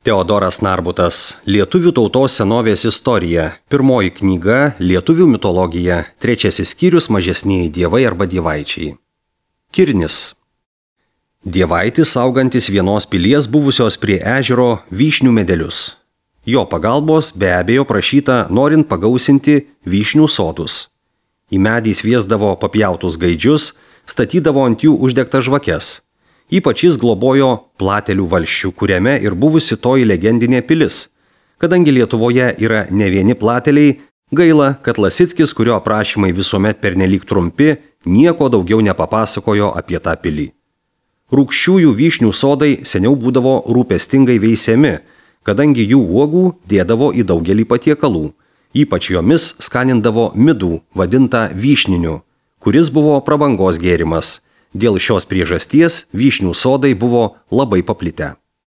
Teodoras Narbutas. Lietuvių tautos senovės istorija. Pirmoji knyga Lietuvių mitologija. Trečiasis skyrius Mažesnieji dievai arba dievaičiai. Kirnis. Dievaitis augantis vienos pilies buvusios prie ežero vyšnių medelius. Jo pagalbos be abejo prašyta norint pagausinti vyšnių sodus. Į medį sviesdavo papjautus gaidžius, statydavo ant jų uždegtas žvakes. Ypač jis globojo Platelių valsčių, kuriame ir buvusi toji legendinė pilis. Kadangi Lietuvoje yra ne vieni Plateliai, gaila, kad Lasickis, kurio aprašymai visuomet pernelyg trumpi, nieko daugiau nepapasakojo apie tą pilį. Rūgščiųjų vyšnių sodai seniau būdavo rūpestingai veisiami, kadangi jų uogų dėdavo į daugelį patiekalų. Ypač jomis skanindavo midų, vadintą vyšniniu, kuris buvo prabangos gėrimas. Dėl šios priežasties vyšnių sodai buvo labai paplitę.